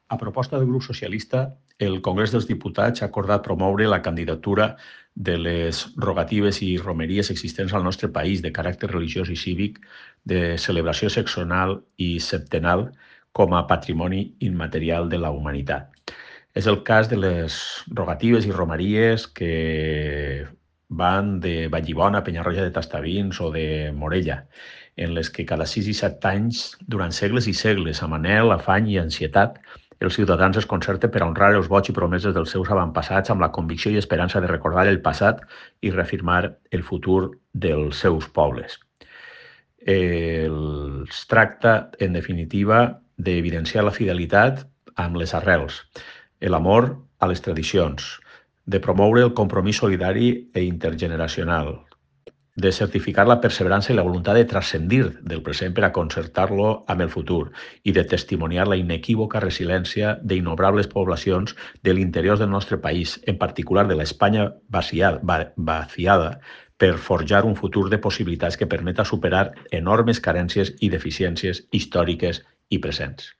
A proposta del grup socialista, el Congrés dels Diputats ha acordat promoure la candidatura de les rogatives i romeries existents al nostre país de caràcter religiós i cívic, de celebració seccional i septenal com a patrimoni immaterial de la humanitat. És el cas de les rogatives i romeries que van de Vallibona, Penyarroja de Tastavins o de Morella, en les que cada 6 i 7 anys, durant segles i segles, amb anhel, afany i ansietat, els ciutadans es concerten per a honrar els vots i promeses dels seus avantpassats amb la convicció i esperança de recordar el passat i reafirmar el futur dels seus pobles. Es tracta, en definitiva, d'evidenciar la fidelitat amb les arrels, l'amor a les tradicions, de promoure el compromís solidari i intergeneracional, de certificar la perseverança i la voluntat de transcendir del present per a concertar-lo amb el futur i de testimoniar la inequívoca resiliència d'innombrables poblacions de l'interior del nostre país, en particular de l'Espanya vaciada, per forjar un futur de possibilitats que permeta superar enormes carències i deficiències històriques i presents.